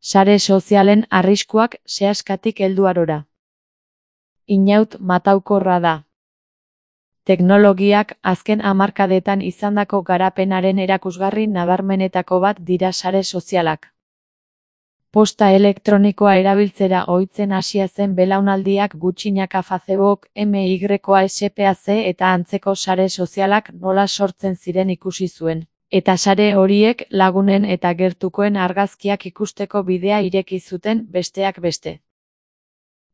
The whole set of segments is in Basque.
Sare sozialen arriskuak sehaskatik heldu arora. Inaut mataukorra da. Teknologiak azken hamarkadetan izandako garapenaren erakusgarri nabarmenetako bat dira sare sozialak. Posta elektronikoa erabiltzera ohitzen hasia zen belaunaldiak gutxinaka Facebook, MYSPAC eta antzeko sare sozialak nola sortzen ziren ikusi zuen. Eta sare horiek lagunen eta gertukoen argazkiak ikusteko bidea ireki zuten besteak beste.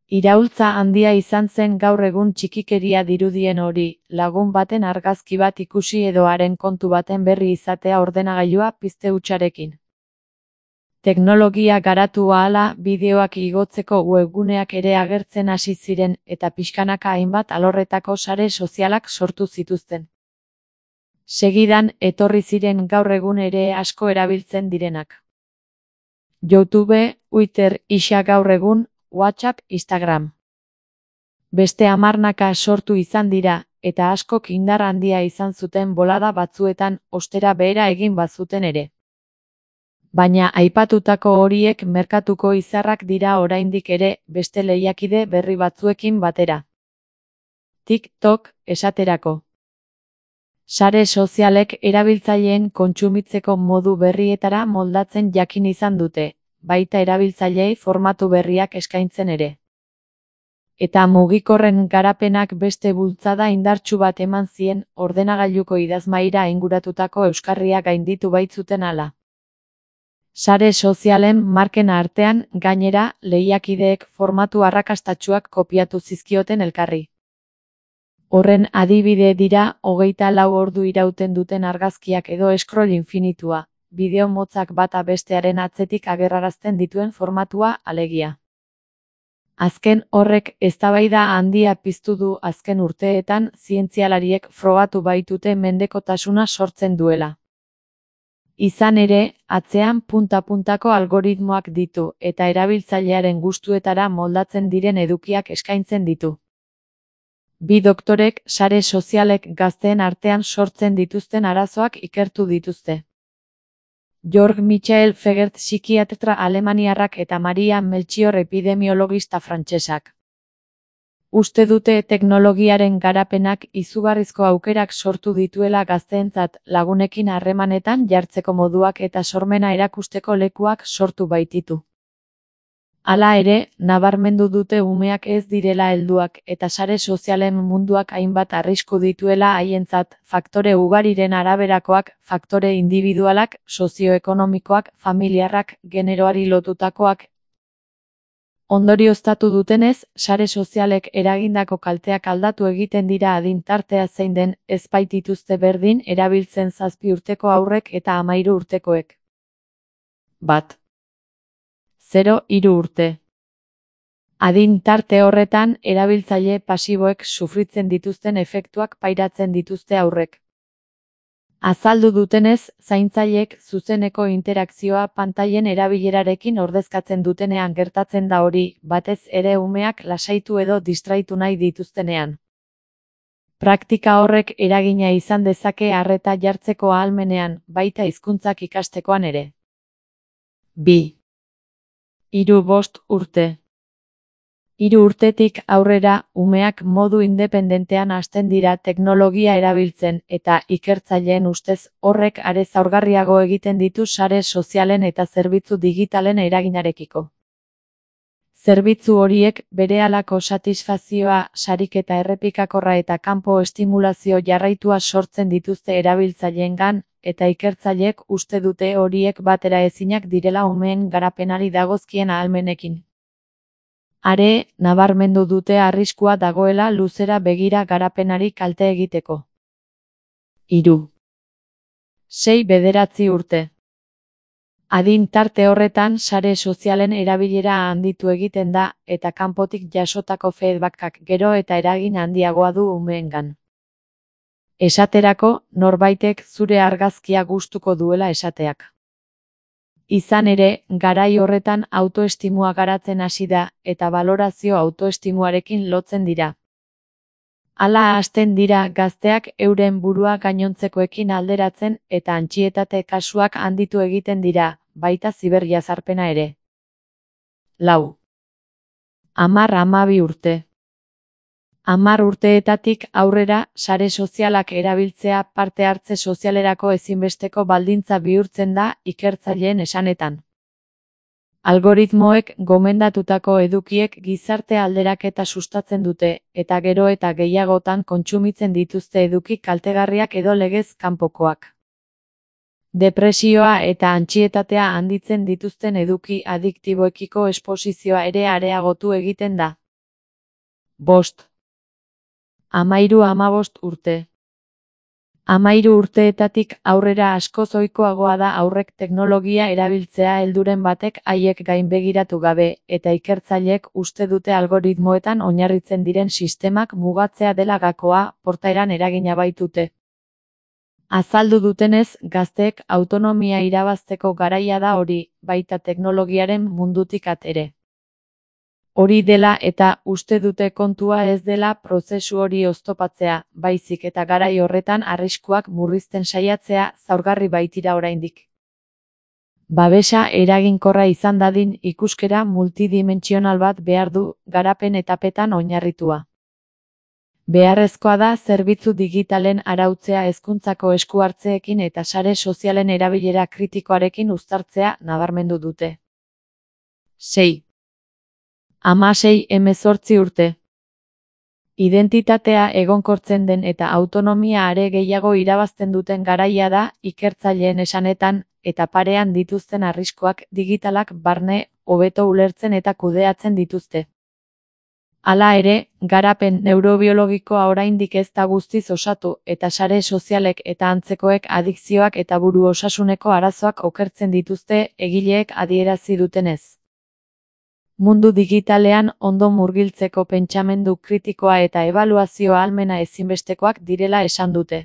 Iraultza handia izan zen gaur egun txikikeria dirudien hori, lagun baten argazki bat ikusi edo haren kontu baten berri izatea ordenagailua pizte hutsarekin. Teknologia garatu ahala bideoak igotzeko webguneak ere agertzen hasi ziren eta pixkanaka hainbat alorretako sare sozialak sortu zituzten. Segidan etorri ziren gaur egun ere asko erabiltzen direnak. YouTube, Twitter, isa gaur egun, WhatsApp, Instagram. Beste hamarnaka sortu izan dira, eta askok indar handia izan zuten bolada batzuetan ostera behera egin bazuten ere. Baina aipatutako horiek merkatuko izarrak dira oraindik ere beste lehiakide berri batzuekin batera. TikTok, esaterako. Sare sozialek erabiltzaileen kontsumitzeko modu berrietara moldatzen jakin izan dute, baita erabiltzaileei formatu berriak eskaintzen ere. Eta mugikorren garapenak beste bultzada indartsu bat eman zien ordenagailuko idazmahaira inguratutako euskarria gainditu baitzuten hala. Sare sozialen marken artean, gainera, lehiakideek formatu arrakastatsuak kopiatu zizkioten elkarri. Horren adibide dira 24 ordu irauten duten argazkiak edo scroll infinitua, bideo motzak bata bestearen atzetik agerrarazten dituen formatua alegia. Azken horrek eztabaida handia piztu du azken urteetan zientzialariek frogatu baitute mendekotasuna sortzen duela. Izan ere, atzean punta-puntako algoritmoak ditu eta erabiltzailearen gustuetara moldatzen diren edukiak eskaintzen ditu. Bi doktorek sare sozialek gazteen artean sortzen dituzten arazoak ikertu dituzte. Georg Michael Fegert psikiatra alemaniarrak eta Maria Melchior epidemiologista frantsesak. Uste dute teknologiaren garapenak izugarrizko aukerak sortu dituela gazteentzat lagunekin harremanetan jartzeko moduak eta sormena erakusteko lekuak sortu baititu. Hala ere, nabarmendu dute umeak ez direla helduak eta sare sozialen munduak hainbat arrisku dituela haientzat, faktore ugariren araberakoak, faktore indibidualak, sozioekonomikoak, familiarrak, generoari lotutakoak. Ondorioztatu dutenez, sare sozialek eragindako kalteak aldatu egiten dira adin tartea zein den, ez baitituzte berdin erabiltzen 7 urteko haurrek eta 13 urtekoek. 0-3 urte. Adin tarte horretan, erabiltzaile pasiboek sufritzen dituzten efektuak pairatzen dituzte haurrek. Azaldu dutenez, zaintzaileek zuzeneko interakzioa pantailen erabilerarekin ordezkatzen dutenean gertatzen da hori, batez ere umeak lasaitu edo distraitu nahi dituztenean. Praktika horrek eragina izan dezake arreta jartzeko ahalmenean, baita hizkuntzak ikastekoan ere. 2-5 urte. 3 urtetik aurrera, umeak modu independentean hasten dira teknologia erabiltzen eta ikertzaileen ustez horrek are zaurgarriago egiten ditu sare sozialen eta zerbitzu digitalen eraginarekiko. Zerbitzu horiek berehalako satisfazioa, sariketa errepikakorra eta kanpo estimulazio jarraitua sortzen dituzte erabiltzaileengan, eta ikertzaileek uste dute horiek batera ezinak direla umeen garapenari dagozkien ahalmenekin. Are, nabarmendu dute arriskua dagoela luzera begira garapenari kalte egiteko. 3-6-9 urte. Adin tarte horretan sare sozialen erabilera handitu egiten da, eta kanpotik jasotako feedbackak gero eta eragin handiagoa du umeengan. Esaterako, norbaitek zure argazkia gustuko duela esateak. Izan ere, garai horretan autoestimua garatzen hasi da, eta balorazio autoestimuarekin lotzen dira. Hala hasten dira gazteak euren burua gainontzekoekin alderatzen eta antsietate kasuak handitu egiten dira, baita ziberjazarpena ere. Lau. 10-12 urte. 10 urteetatik aurrera, sare sozialak erabiltzea parte hartze sozialerako ezinbesteko baldintza bihurtzen da, ikertzaileen esanetan. Algoritmoek gomendatutako edukiek gizarte alderaketa sustatzen dute, eta gero eta gehiagotan kontsumitzen dituzte eduki kaltegarriak edo legez kanpokoak. Depresioa eta antsietatea handitzen dituzten eduki adiktiboekiko esposizioa ere areagotu egiten da. 5. 13-15 urte. 13 urteetatik aurrera askoz ohikoagoa da haurrek teknologia erabiltzea helduren batek haiek gainbegiratu gabe, eta ikertzaileek uste dute algoritmoetan oinarritzen diren sistemak mugatzea dela gakoa, portaeran eragina baitute. Azaldu dutenez, gazteek autonomia irabazteko garaia da hori, baita teknologiaren mundutik at ere. Hori dela eta uste dute kontua ez dela prozesu hori oztopatzea, baizik eta garai horretan arriskuak murrizten saiatzea zaurgarri baitira oraindik. Babesa eraginkorra izan dadin ikuskera multidimentsional bat behar du, garapen etapetan oinarritua. Beharrezkoa da zerbitzu digitalen arautzea hezkuntzako esku-hartzeekin eta sare sozialen erabilera kritikoarekin uztartzea nabarmendu dute. 6. 16-18 urte. Identitatea egonkortzen den eta autonomia are gehiago irabazten duten garaia da, ikertzaileen esanetan, eta parean dituzten arriskuak digitalak barne, hobeto ulertzen eta kudeatzen dituzte. Hala ere, garapen neurobiologikoa oraindik ez da guztiz osatu, eta sare sozialek eta antzekoek adikzioak eta buru osasuneko arazoak okertzen dituzte, egileek adierazi dutenez. Mundu digitalean ondo murgiltzeko pentsamendu kritikoa eta ebaluazio ahalmena ezinbestekoak direla esan dute.